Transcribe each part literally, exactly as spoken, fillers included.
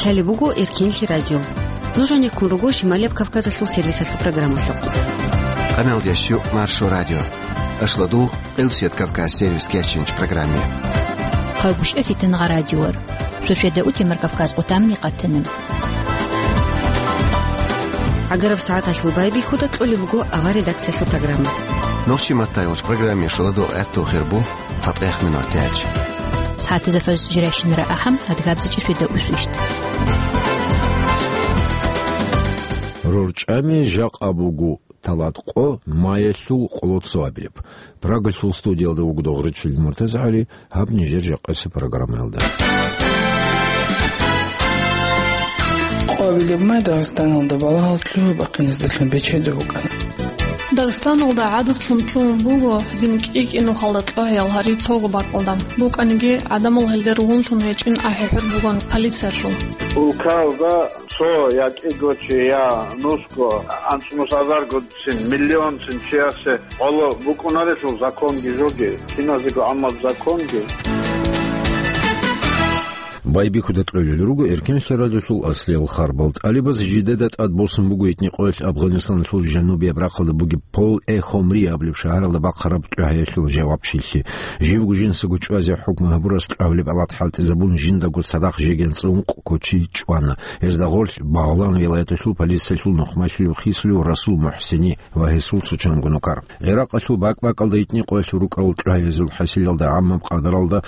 Лъалеб буго Эркенлъи радио. Нуж гьанеккун руго Шималияб Кавказалъул сервисалъул программалъухъ. Къамелдеш Маршо радио. Ашлодугъ, Къилсият Кавказ сервис кечинч программе. Хъагушев Фитнагъа радиор. Шошеда утемар Кавказ къутамни къатана. ГӀагараб сагӀаталъул байбихьуда кьолеб буго авар редакциялъул программа. Нохчи маттайолч программе шоладо гӀатту хирбу. ЦатӀех минутач. СагӀатазда фаз жирайщинара ахӀам, адгабзачӀи фида усвищт. РорчӀами жакъа буго талат къо маялъул къолоцо абилеб. Прагалъул студиялда вуго Догъричил МуртазагӀали, гьаб нижер жакъасеб программаялда. Къо абилеб май Дагъистаналда балагьал лъугьа-бахъиназдалъун бечедав вукӀана. Дагъистаналда гӀадатлъун лъугьун буго гьедин кӀи-кӀи нухалда кьогьаял гьари цого бакӀалда. БукӀаниги, гӀадамал гьелде ругьунлъун гьечӀин ахӀи-хӀур бугоан полициялъул. Улкаялда цо я кӀиго чи, я нусго, анцӀнус азарго цин, миллион цин чиясе гӀоло букӀунарелъул законги жоги, киназего гӀаммаб законги. Байбихьуда кьолел руго Эркенлъи радиолъул аслиял харбал. ТӀалибаз жидеда тӀад босун буго гьитӀинаб къоялъ Афганистаналъул жанубияб рахъалда бугеб Пол-э-Хомри абулеб шагьаралда бахъараб тӀугьаялъул жавабчилъи. Живго жинсаго чӀвазе хӀукму гьабурас тӀагьулеб гӀалат хӀалтӀизабун, жиндаго цадахъ жеги анцӀила ункъ кочи чӀвана. Гьезда гъорлъ Багълан вилаяталъул полициялъул нухмалъулев хисулев Расул МухӀсини ва гьесул цо чанго нукар. ГӀиракъалъул бакӀ-бакӀалда гьитӀинаб къоялъул рукӀарал тӀугьаязул хӀасилалда гӀаммаб къадаралда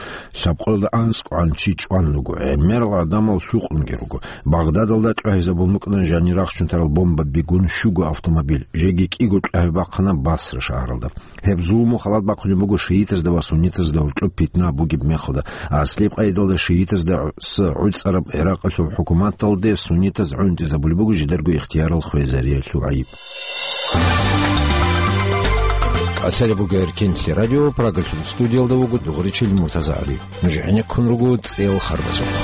лъабкъоялда анцӀгогӀан чи чӀван руго, гӀемерал гӀадамал лъукъунги руго. Багъдадалда тӀугьизабун букӀана жанир рахчун тарал бомбаби гун щуго автомобиль, жеги кӀиго тӀугьи бахъана Басра шагьаралда. Гьеб зулму халат бахъулеб буго шиитазда ва суннитазда гьоркьоб питна бугеб мехалда. Аслияб къайдалда шиитазда гӀу-, с-, гӀуцӀараб ГӀиракъалъул хӀукуматалде суннитаз гӀунтӀизабулеб буго жидарго ихтиярал хвезариялъул гӀайиб. КӀалъалеб буго Эркенлъи радио, Прагалъул студиялда вуго Догъричил МуртазагӀали. Нуж гӀенеккун руго цӀел харбазухъ.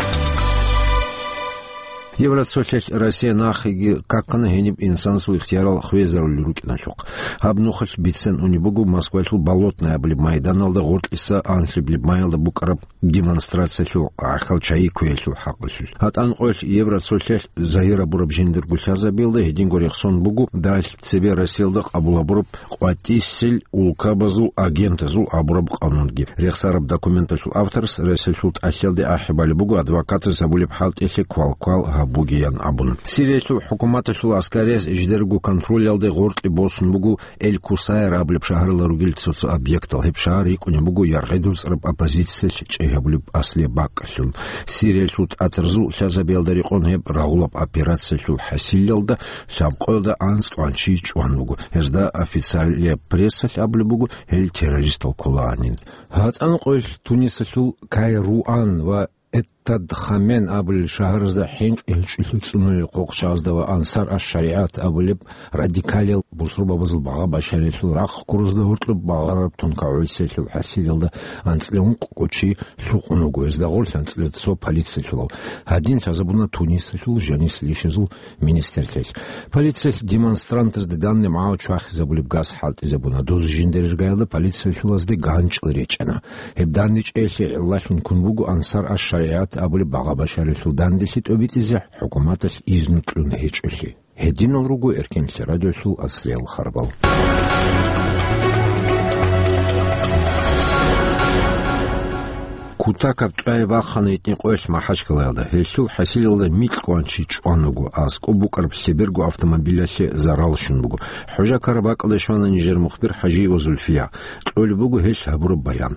Евроцолъалъ Россия нахъеги какана гьениб инсанасул ихтиярал хвезарулел рукӀиналъухъ. Гьаб нухалъ бицен унеб буго Москвалъул Болотное абулеб майданалда гъоркьиса анлъабилеб майялда букӀараб демонстрациялъул гӀахьал чайи кквеялъул хӀакъалъулъ. ГьатӀан къоялъ Евроцолъалъ загьир гьабураб жиндирго лъазабиялда гьединго рехсон буго далъ цебе Россиялда къабул гьабураб къватӀисел улкабазул агентазул абураб къанунги. Рехсараб документалъул авторас Россиялъул тӀалъиялде ахӀи балеб буго адвокатас гьабулеб хӀалтӀилъи квалквал гьабугеян абун. Сириялъул хӀукуматалъул аскарияс жидерго контролялде гъоркье босун буго Эль-Кусайр абулеб шагьаралда ругел цо-цо объектал. Гьеб шагьар йикӀунеб буго яргъи доцӀараб оппозициялъ чӀей гьабулеб аслияб бакӀалъун. Сириялъул тӀатарзул лъазабиялда рекъон гьеб рагъулаб операциялъул хӀасилалда лъабкъоялда анцӀгогӀан чи чӀван вуго. Гьезда официалияб прессалъ абулеб буго гьел террористал кколагӀанин. ГьатӀан къоялъ Тунисалъул Кайруан ва Эттадхамен абулел шагьаразда хӀинкъи гьечӀолъи цӀунулел хъухъ чагӀазда ва Ансар аш-ШаригӀат абулеб радикалиял бусурбабазул багъа-башариялъул рахъ ккуразда гьоркьоб багъараб тункагӀур гӀисиялъул хӀасилалда анцӀила ункъго чи лъукъун вуго, гьезда гъорлъ анцӀила цо полициялъулав. Гьадин лъазабуна Тунисалъул жанисел ишазул министрлъиялъ. Полициялъ демонстрантазда данде магӀу чвахизабулеб газ хӀалтӀизабуна. Доз жиндир иргаялда полициялъулазде ганчӀал речӀчӀана. Гьеб дандечӀеялъе гӀиллалъун ккун буго Ансар аш-ШаригӀат абулеб багъа-башариялъул данделъи тӀобитӀизе хӀукуматалъ изну кьун гьечӀолъи. Гьединал руго Эркенлъи радиолъул аслиял харбал. Кутакаб тӀугӀи бахъана гьитӀинаб къоялъ МахӀачкъалаялда. Гьелъул хӀасилалда микьгогӀан чи чӀван вуго, аскӀоб букӀараб лъеберго автомобилалъе зарал щун буго. ХӀужа ккараб бакӀалде щвана нижер мухбир ХӀажиева Зульфия. Кьолеб буго гьелъ гьабураб баян.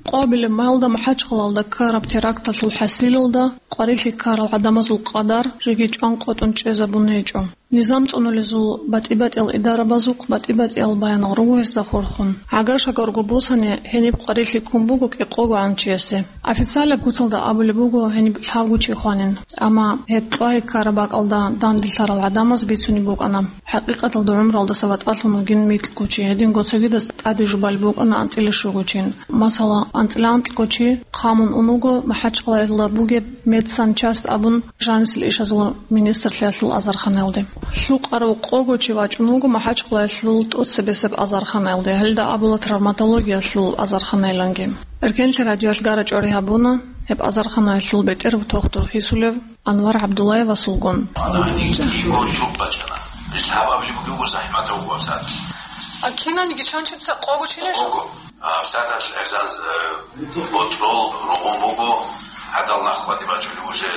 Къо абилеб майилда МахӀачкъалаялда ккараб теракталъул хӀасилалда къварилъи ккарал гӀадамазул къадар жеги чӀван къотӀун чӀезабун гьечӀо. Низам цӀунулезул батӀи-батӀиял идарабазухъ батӀи-батӀиял баянал руго гьезда хурхун. ГӀагар-шагарго босани, гьениб къварилъи ккун буго кӀикъогогӀан чиясе. Официалаб куцалда абулеб буго гьениб лъабго чи хванин. Амма гьеб тӀугӀи ккараб бакӀалда данделъарал гӀадамаз бицунеб букӀана. ХӀакъикъаталда гӀумруялдаса ватӀалъун вугин микьго чи, гьединго цогидаз тӀаде жубалеб букӀана анцӀила щуго чин. Масала, анцӀила анкьго чи хъамун ун вуго МахӀачкъалаялда бугеб медсанчасть абун жанисел ишазул министрлъиялъул азарханаялде. Лъукъарав къого чи вачӀун вуго МахӀачкъалаялъул тӀоцебесеб азарханаялде, гьелда абула травматологиялъул азарханаяланги. Эркенлъи радиоялъ гара-чӀвари гьабуна. Гьеб азарханаялъул бетӀер вутохтур хисулев Анвар ГӀабдуллаевасулгун. Ана гьаниб кӀиго труб бачӀана. Бис гьаб абулеб буго, захӀматав вуго абсаат. А киналниги чанчица къого чинеш? Къого. А абсааталъ гӀерзан, э, ботрол ругъун буго, гӀадал нахъ вади бачӀулев уже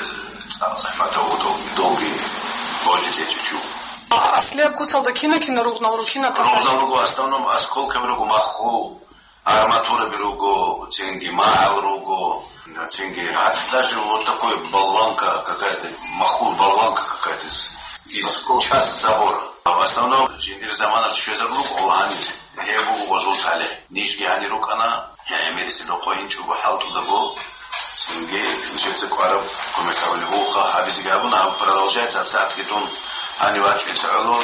цӀакъ захӀматав вуго, долги божи лечучу. А аслияб куцалда кина-кина ругънал рукина? Ругънал руго, в основном осколкаби руго, маххул. Арматураби руго, цинги магӀал руго, цинги гьатӀ даже вот такой болванка какая-то, махул болванка какая-то из, из части забора. А в основном жиндир заманалъ щвезабулеб буго гьаниб, гьеб буго гъозул талихӀ. Нижги гьанир рукӀана, гӀемериси рокъойин чӀого хӀалтӀудаго, цинги нижеца кӀвараб кумек гьабулеб бугоха, гьабизеги гьабуна, гьаб продолжается, абсаатги дун гьанив вачӀунелъ гӀоло,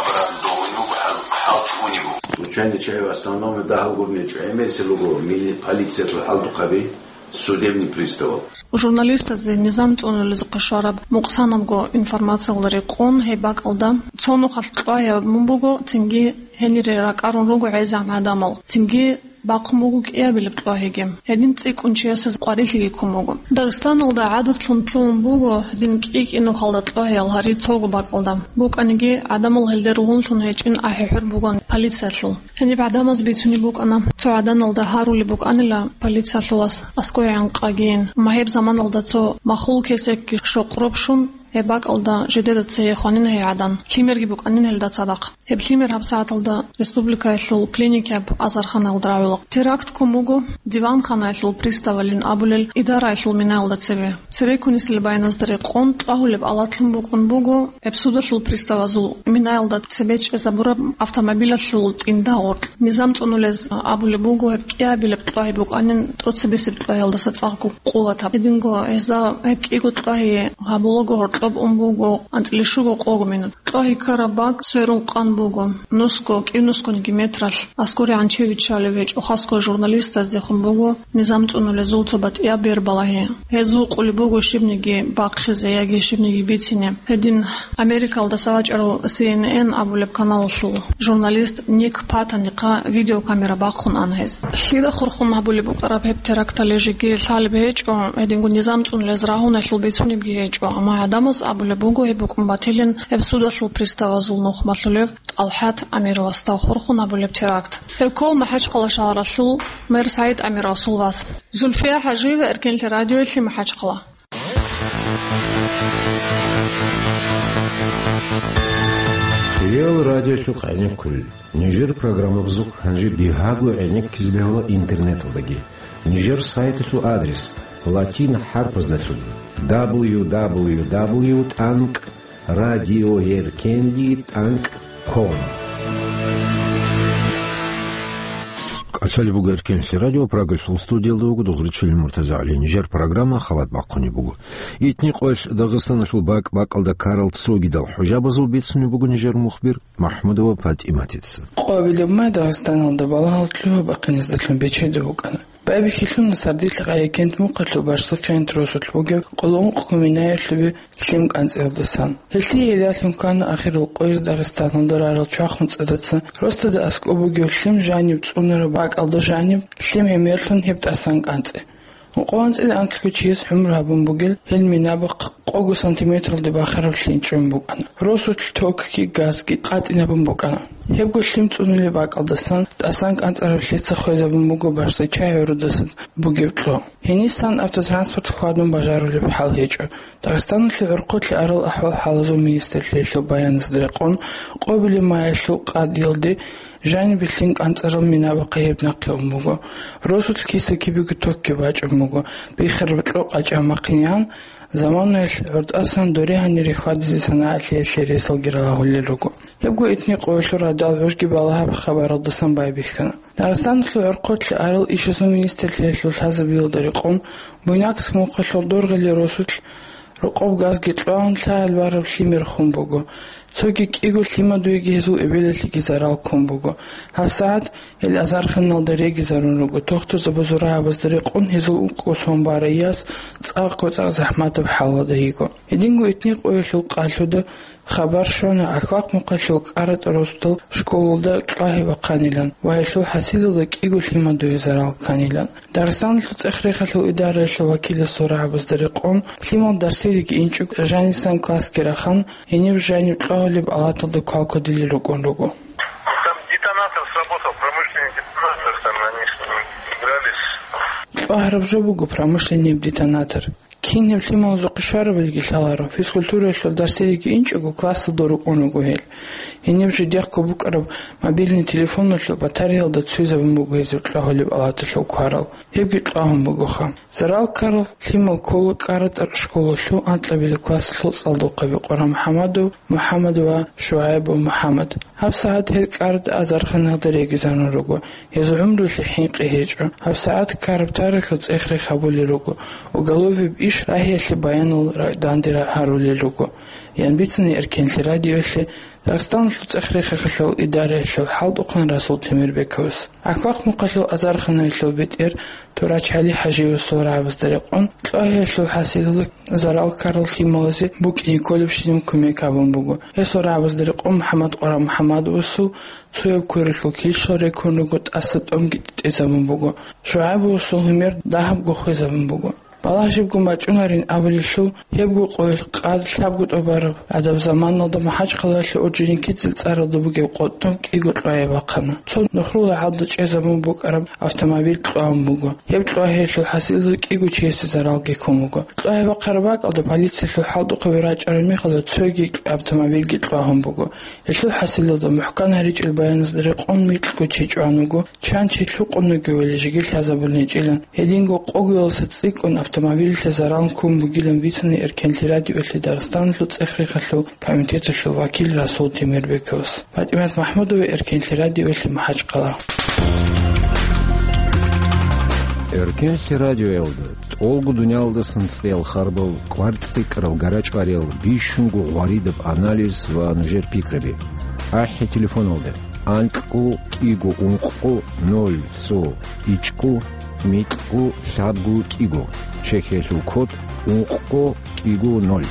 обратно довгьун вуго, хӀал-, хӀалтӀунев вуго. Случайный чай в основном дагьал гурони чӀо гӀемерисел руго, мили-, полициялъул хӀалтӀухъаби, судебный приставал. Журналистазе низам цӀунулезухъе щвараб мукъсанабго информациялда рекъон гьеб бакӀалда цо нухалъ кьвагьабун буго, цинги гьенире ракӀарун руго гӀезегӀан гӀадамал, цинги бахъун буго кӀиабилеб кьвагьиги. Гьедин цӀикӀкӀун чиясез къварилъиги ккун буго. Дагъистаналда гӀадатлъун лъугьун буго гьедин кӀи-кӀи нухалда кьвагьиял гьари цого бакӀалда. БукӀаниги, гӀадамал гьелде ругьунлъун гьечӀин ахӀи-хӀур бугоан полициялъул. Гьениб гӀадамаз бицунеб букӀана, цо гӀаданалда гьарулеб букӀанила полициялъулас аскӀовегӀан къагийин. Амма гьеб заманалда цо махул кесекги щокъ роб щун, гьеб бакӀалда жидеда цее хванина гьей гӀадан. Лъимерги букӀанин гьелда цадахъ. Гьеб лъимер гьабсагӀаталда республикаялъул клиникияб азарханаялда рагӀула. Теракт ккун буго диванханаялъул приставалин абулел идараялъул минаялда цебе. Церекунисел баяназда рекъон, кьвагьулеб алатлъун букӀун буго гьеб судалъул приставазул минаялда цебе чӀезабураб автомобилалъул тӀинда гъоркь. Низам цӀунулез абулеб буго, гьеб кӀиабилеб кьвагьи букӀанин тӀоцебесеб кьвагьиялдаса цӀакъго къуватаб. Гьединго гьезда гьеб кӀиго кьвагьи гьабулаго гьоркьоб ун буго анцӀила щуго къого минут. Кьвагьи ккараб бакӀ сверун къан буго. Нусго, кӀив нусгониги метралъ аскӀорегӀан чи виччалев гьечӀо, хасго журналистаздехун буго низам цӀунулезул цо батӀияб бер балагьи. Гьез гьукъулеб буго щибниги бахъизе яги щибниги бицине. Гьедин Америкалдаса вачӀарав Си Эн Эн абулеб каналалъул журналист Ник Паттонихъа видеокамера бахъун ана гьез. Лъида хурхун гьабулеб букӀараб гьеб теракталъе жеги лъалеб гьечӀо, гьединго низам цӀунулез рагьуналъул бицунебги гьечӀо, амма гӀадамаз абулеб буго гьеб букӀун батилин гьеб судалъул приставазул нухмалъулев ТӀалхӀат Амировасда хурхун гьабулеб теракт. Гьеб ккола МахӀачхъала шагьаралъул мэр СагӀид Амировасул вас. Зульфия ХӀажиева, Эркенлъи радиоялъе, МахӀачхъала. Реал радиолъухъ гӀенеккулел. Нижер программабазухъ гьанже бигьаго гӀенеккизе бегьула интернеталдаги. Нижер сайталъул адрес: латин хӀарпаздалъун: дабл ю дабл ю дабл ю тӀанкӀ радиоеркенлъи тӀанкӀ ком. КӀалъалеб буго Эркенлъи радио, Прагалъул студиялда вуго Дугъричилин МуртазагӀли. Нижер программа халат бахъунеб буго. Итни къоялъ Дагъистаналъул бакӀ-бакӀалда ккарал цогидал хӀужабазул бицунеб буго нижер мухбир МахӀмудова ПатӀиматица. Къоабилеб май Дагъистаналда балагьал лъугьа-бахъиназдалъун бечедав вукӀана. Байбихьилъуна сардилъ Къаякент мухъалъул башлахъеян росулъ бугев къулгӀумкъго минаялъубе лъим кӀанцӀиялдасан. Гьелъие гӀиллалъун ккана ахирал къояз Дагъистаналда рарал чвахун цӀадацан росдада аскӀоб бугев лъим жаниб цӀунараб бакӀалда жаниб лъим гӀемерлъун гьеб тӀасан кӀанцӀи. Ункъо анцӀила анкьго чияс гӀумру гьабун бугел гьел минабахъ къого сантиметралде бахараб лъим чӀун букӀана. Росулъ токги газги къатӀинабун букӀана. Гьебго лъим цӀунулеб бакӀалдасан тӀасан кӀанцӀараб лъица хвезабун буго башличчай гӀурудасан бугеб кьо. Гьенисан автотранспорт хьвадун бажарулеб хӀал гьечӀо. Дагъистаналъе гӀорхъолъи арал ахӀвал-хӀалазул министрлъиялъул баяназда рекъон, къоабилеб маялъул къадиялде жанибе лъим кӀанцӀарал минабахъе гьеб нахъе ун буго. Росулъ киса-кибего токги бачӀун буго, бихараб кьо къачӀа махъинян, заманаялъ гӀуртӀасан доре гьанире хьвадизе санагӀалъиялъе ресалги ралагьулел руго. Гьебго итни къоялъул радал гӀужги балагьаб хабаралдасан байбихьана. Дагъистаналъул гӀорхъолъи арал ишазул министрлъиялъул лъазабиялда рекъон, Буйнакск мухъалъул Доргъили росулъ рокъоб газги кьван лъагӀел бараб лъимер хун буго. Цоги кӀиго лъимадуеги гьезул эбелалъеги зарал ккун буго. ГьабсагӀат гьел азарханалда регизарун руго, тохтурзабазул рагӀабазда рекъон гьезул ункъго сон барай яс цӀакъго-цӀакъ захӀматаб хӀалалда йиго. Гьединго итни къоялъул къалъуда хабар щвана Ахвахъ-Мухъалъул КӀаратӀа росдал школалда кьвагьи бахъанилан ва гьелъул хӀасилалда кӀиго лъимадуе зарал кканилан. Дагъистаналъул цӀех-рехалъул идараялъул вакиласул рагӀабазда рекъон, лъимал дарсилиги инчӀого жанисан классги рахан, гьениб жаниб кьвагьулеб алаталда квалквадилел рукӀун руго. Там детонатор сработал, промышленный детонатор, там они с ним игрались. Кьвагьараб жо буго промышленный детонатор. Кинаб лъималазухъе щварабилги лъаларо, физкультураялъул дарсилиги инчӀого классалда рукӀун руго гьел. Гьениб жидехъго букӀараб мобильный телефоналъул батареялда цуйзабун буго гьезул кьвагьулеб алаталъул кварал. Гьебги кьвагьун бугоха. Зарал ккарал лъимал ккола КӀаратӀа школалъул анкьабилеб классалъул цӀалдохъаби Къурамухьамадов МухӀаммад ва ШугӀайбов МухӀаммад. ГьабсагӀат гьел КӀаратӀа азарханалда регизарун руго. Гьезул гӀумруялъе хӀинкъи гьечӀо. ГьабсагӀат ккараб тарихалъул цӀех-рех гьабулел руго, оголовияб иш рагьиялъе баянал ра-, данде ра-, гьарулел руго, ян бицана Эркенлъи радиоялъе Дагъистаналъул цӀех-рехалъул идараялъул хӀалтӀухъан Расул Темирбековас. Ахвахъ-Мухъалъул азарханаялъул бетӀер Турач ГӀали ХӀажиевасул рагӀабазда рекъон, кьвагьиялъул хӀасилалда зарал ккарал лъималазе букӀине кколебщинаб кумек гьабун буго. Гьесул рагӀабазда рекъон МухӀаммад Къурамухьамадовасул цояб квералъул килщал рекун руго, тӀаса тӀомги тӀезабун буго. ШугӀайбовасул гьумер дагьабго хвезабун буго. Балагь жибго бачӀунарин абулелъул, гьебго къоялъ къад лъабго тӀубараб гӀадаб заманалда МахӀачхъалаялъул Орджоникидзе цӀаралда бугеб къотӀноб кӀиго кьвагьи бахъана. Цо нухрул рагӀалда чӀезабун букӀараб автомобиль кьвагьун буго. Гьеб кьвагьиялъул хӀасилалда кӀиго чиясе заралги ккун буго. Кьвагьи бахъараб бакӀалда полициялъул хӀалтӀухъаби рачӀараб мехалда цоги автомобильги кьвагьун буго. Гьелъул хӀасилалда мухӀкан гьаричӀел баяназда рекъон микьго чи чӀван вуго, чан чи лъукъун вугевали жеги лъазабулин гьечӀилан, гьединго къогоялдаса цӀикӀкӀун автомобилалъе зарал ккун бугилан бицана Эркенлъи радиоялъе Дагъистаналъул цӀех-рехалъул комитеталъул вакил Расул Темирбековас. ПатӀимат МахӀмудова, Эркенлъи радиоялъе, МахӀачхъала. Эркенлъи радиоялда тӀолго дуниялдасан цӀеял харбал, кӀвар цӀикӀкӀарал гарачӀвариял, бищунго гъваридаб анализ ва нужер пикраби. АхӀи телефоналда: анкьго кӀиго ункъго ноль цо ичӀго микьго лъабго кӀиго, Чехиялъул код ункъго кӀиго ноль.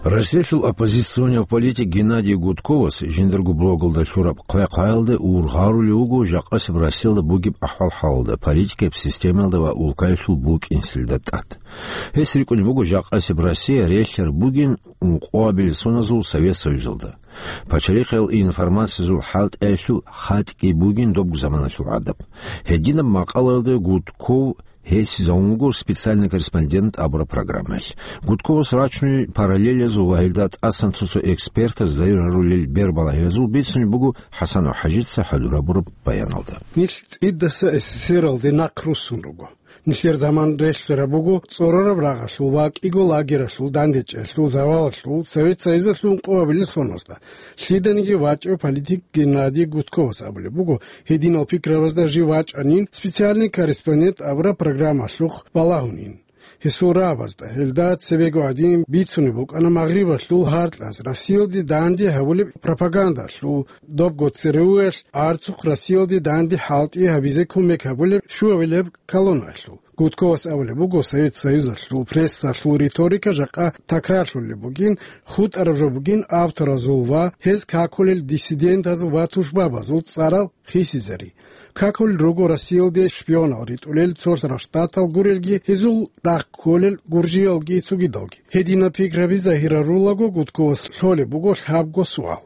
Россиялъул оппозиционияв политик Геннадий Гудковас жиндарго блогалда лъураб хъвай-хъваялда ургъарулев вуго жакъасеб Россиялда бугеб ахӀвал-хӀалалда, политикаяб системаялда ва улкаялъул букӀинсилда тӀад. Гьес рикӀкӀунеб буго жакъасеб Россия релълъараб бугин ункъоабилеб соназул Совет Союзалда. Пачалихъал информациязул хӀалтӀиялъул хатӀги бугин добго заманалъул гӀадаб. Гьединаб макъалаялда Гудков гьесизавун вуго «Специальный корреспондент» абураб программаялъ. Гудковас рачунел параллелазул ва гьелда тӀасан цо-цо экспертаз зарарулел бербалагьиязул бицунеб буго ХӀасанов ХӀажица хӀалурабураб баяналда. Нилъ цӀидаса СССР-алде нахъ руссун руго. Нилъер заман релълъараб буго цӀорораб рагъалъул ва кӀиго лагералъул дандечӀеялъул, завалалъул, Совет Союзалъул ункъоабилел соназда. Лъиданиги вачӀев политик Геннадий Гудковас абулеб буго, гьединал пикрабазда жив вачӀанин, «Специальный корреспондент» абураб программалъухъ балагьунин. Гьесул рагӀабазда, гьелда цебего гӀадин, бицунеб букӀана Магърибалъул гьаркьаз Россиялде данде гьабулеб пропагандалъул, добго ЦРУ-ялъ гӀарцухъ Россиялде данде хӀалтӀи гьабизе кумек гьабулеб щуабилеб колонналъул. Гудковас абулеб буго, Совет Союзалъул прессалъул риторика жакъа такрарлъулеб бугин, хутӀараб жо бугин авторазул ва гьез какулел диссидентазул ва тушбабазул цӀарал хисизари. Какулел руго Россиялде шпионал ритӀулел Цолъарал Штатал гурелги, гьезул рахъ кколел гуржиялги цогидалги. Гьединаб пикраби загьирарулаго, Гудковас лъолеб буго лъабго суал.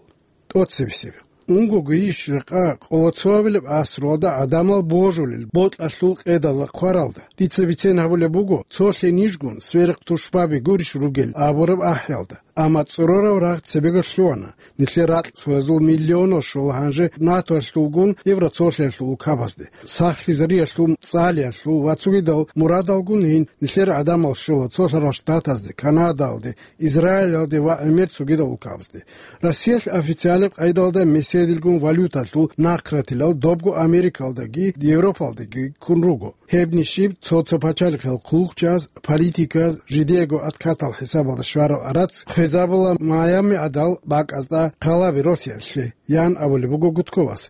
ТӀоцебесеб. Унгого иш жакъа къолоцоабилеб асралда гӀадамал божулел бокьалъул къедалда хъваралда. Дица бицен гьабулеб буго, цолъе нижгун сверухъ тушбаби гурищ ругел абураб ахӀиялда. Амма цӀорораб рагъ цебего лъугьана. Нилъер ракь цоязул миллионал щола гьанже НАТОялъулгун Евроцолъиялъул улкабазде, Сахлъизариялъул, ЦӀалиялъул ва цогидал мурадалгун гьин нилъер гӀадамал щола Цолъарал Штатазде, Канадаялде, Израилалде ва гӀемер цогидал улкабазде. Россиялъ официалаб къайдалда меседилгун валюталъул нахъратилал добго Америкалдаги Европалдаги ккун руго. Гьебни щиб цо-цо пачалихъал хъулухъчияз, политиказ жидеего откатал хӀисабалда щварал арац хвезабула Майами гӀадал бакӀазда хъалаби Россиялъе, ян абулеб буго Гудковас.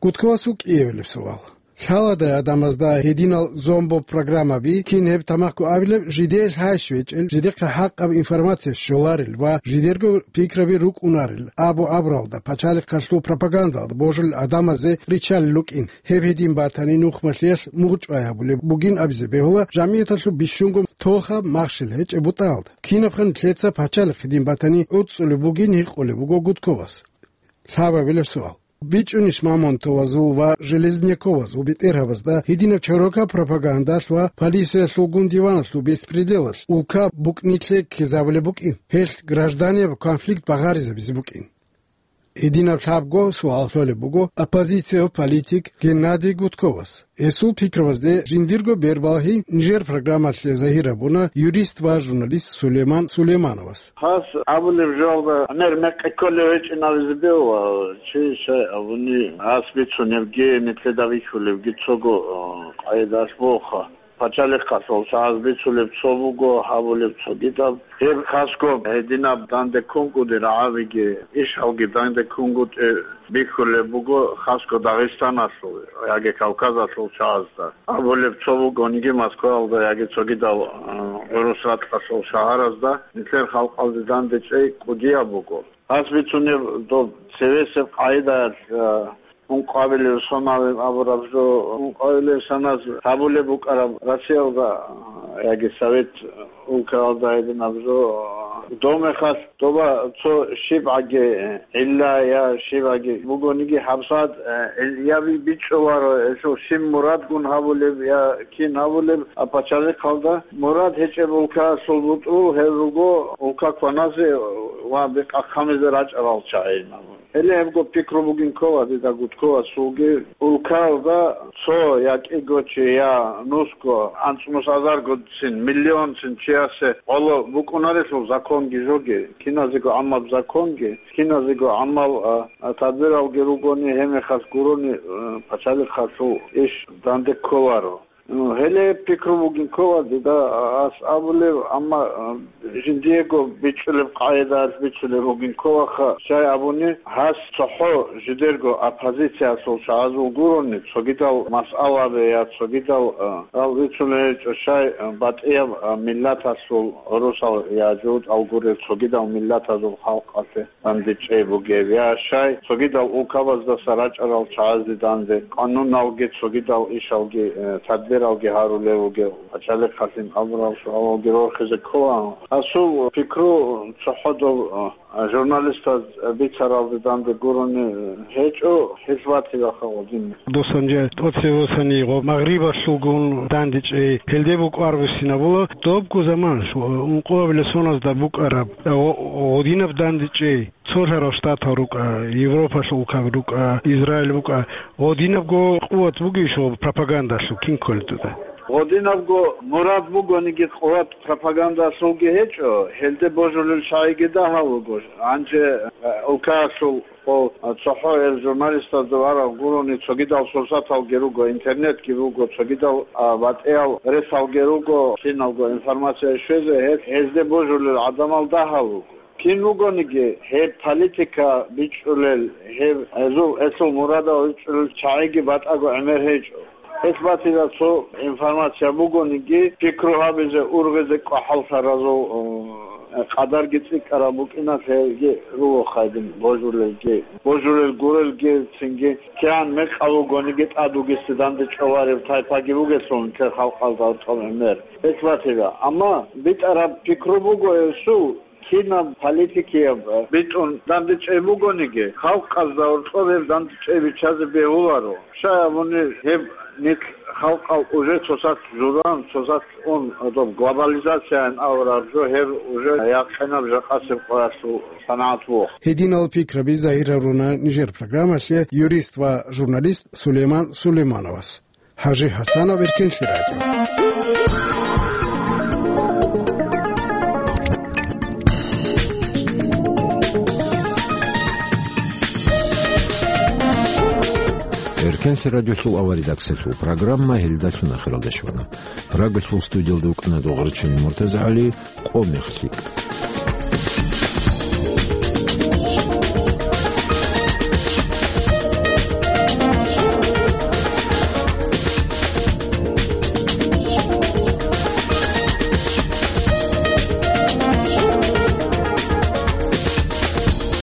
Гудковасул кӀиабилеб суал. Лъаладай гӀадамазда гьединал зомбо программаби, кин гьеб тамахъго абилеб, жидее лъайщ вечӀел, жидехъа хӀакъаб информация щоларел ва жидерго пикраби рукӀунарел абу-абуралда, пачалихъалъул пропагандалда божулел гӀадамазе риччалел рукӀин. Гьеб гьедин батани, нухмалъиялъ мугъчӀвай гьабулеб бугин абизе бегьула жамигӀаталъул бищунго тохаб махщел гьечӀеб бутӀаялда. Кинабха нилъеца пачалихъ гьедин батани гӀуцӀцӀулеб бугин гьикъулеб буго Гудковас. Лъабабилеб суал. БичӀчӀунищ Мамонтовазул ва Железняковазул бетӀергьабазда гьединаб чорокаб пропагандалъ ва полициялъулгун диваналъул беспределалъ улка букӀнилъе ккезабулеб букӀин, гьелъ гражданияб конфликт багъаризабизе букӀин? Гьединаб лъабго суал лъолеб буго оппозицияб политик Геннадий Гудковас. Гьесул пикрабазде жиндирго бербалгьи нижер программалъе загьир гьабуна юрист ва журналист Сулейман Сулеймановас. Гьас абулеб жоялда гӀемер мекъи кколев гьечӀин абизе бегьула, чи щай абуни, гьас бицунебги, нилъеда бихьулебги цого, э, къайдалъ бугоха. Пачалихъалъул чагӀаз бицулеб цо буго, гьабулеб цогидаб. Гьеб хасго гьединаб данде ккунгутӀи рагӀабиги, ишалги данде ккунгутӀи бихьулеб буго хасго Дагъистаналъул яги Кавказалъул чагӀазда. Абулеб цо бугониги Москваялда яги цогидал, а, гӀурус ракьалъул шагьаразда нилъер халкъалде данде чӀей кӀудияб буго. Гьас бицунеб доб цевесеб къагӀидаялъ, а, ункъабилев сонаве абураб жо, ункъабилев саназ гьабулеб букӀараб Россиялда, а, яги Совет улкаялда гьединаб жо, а, дов мехалъ доба цо щибгӀаги гӀилла я щибгӀаги бугониги гьабсагӀат, а, гӀил-, я би-, бичӀчӀуларо гьелъул щиб мурадгун гьабулеб я кин гьабулеб, а пачалихъалда мурад гьечӀеб улкаялъул бутӀрул гьел руго улка кваназе ва бекъахъамизе рачӀарал чагӀи. Гьеле гьебго пикру бугин ккола дида Гудковасулги, улкаялда цо я кӀиго чи, я нусго, анцӀмус азаргоцин, миллионцин чиясе гӀоло букӀунарелъул законги жоги, киназего гӀаммаб законги, киназего гӀаммал, а, а, тадбиралги ругони, гьеб мехалъ гурони, а, пачалихъалъул иш данде кколаро. Гьеле пикру бугин ккола дида ас абулеб, амма, а, жиндиего бичӀчӀулеб къагӀидаялъ бицунеб бугин кколаха, щай абуни, гьас цохӀо жидерго оппозициялъул чагӀазул гурони, цогидал масъалабе я цогидал, а, ал бицунеб гьечӀо, щай, а, батӀияб, а, миллаталъул гӀурусал я жугьутӀал гурел цогидал миллатазул халкъалъе. ДандечӀей бугеб, я щай, цогидал улкабаздаса рачӀарал чагӀазде данде, къануналги, цогидал ишалги, э, тадбиралги гьарулев вугев, пачалихъалъин абурал суалалги рорхизе ккола. Гьасул пикру цохӀо доб, э, журналистаз бицаралде данде гурони, э, гьечӀо, гьелъ батила хавадин. Досанже тӀоцевосани гъо Магърибалъулгун дандечӀей, гьелде букӀарабусинабула добго заманалъ, ункъоабилеб соназда букӀараб, гъо-, гъодинаб дандечӀей. Цолъарал Штатал рукӀа, Европалъул улкаби рукӀа, Израиль букӀа, гъодинабго къуват бугищ гъо пропагандалъул кин кколел дуда? Гъодинабго мурад бугониги къуват пропагандалъулги гьечӀо, гьелде божулел чагӀиги дагьав вуго. Гьанже, э, улкаялъул гъо, э, цохӀо гьел журналистазда варав гурони цогидал сурсаталги руго, интернетги буго, цогидал, а, батӀиял ресалги руго, киналго информация щвезе, гьез, гьезде божулел гӀадамал дагьав вуго. Кин вугониги, гьеб политика бичӀчӀулел, гьеб гьезул, гьелъул мурадал бичӀчӀулел чагӀиги батӀаго гӀемер гьечӀо. Гьелъ батила цо информация бугониги, пикру гьабизе, ургъизе кӀвахӀаллъаразул, э, къадарги цӀикӀкӀараб букӀиналъ гьелги руго хайдин божулелги, божулел гурелги, цинги кигӀан мекъаб бугониги тӀад вугесде дандечӀолареб тайпаги бугелъул нилъер халкъалда гьоркьоб гӀемер. Гьелъ батила. Амма битӀараб пикру буго гьесул, кинаб политикияб битӀун дандечӀей бугониги, халкъазда гьоркьоб гьеб дандечӀей биччазе бегьуларо. Щай абуни, гьеб нилъ Халкъал уже цоцалъ журан, цоцалъ ун, доб глобализацияян авараб жо, гьеб уже якъинаб жакъасеб къоялъул санагӀат вух. Гьединал пикраби загьир гьаруна нижер программалъе юрист ва журналист Сулейман Сулеймановас. Гьажи Гьасанов, Эркенлъи радио. Эркенлъи радиолъул аваридаксалъул программа гьелдалъун ахиралда щвана. Прагалъул студиялда вукӀана Дугъричан МуртазагӀали. Къо мех лъикӀ.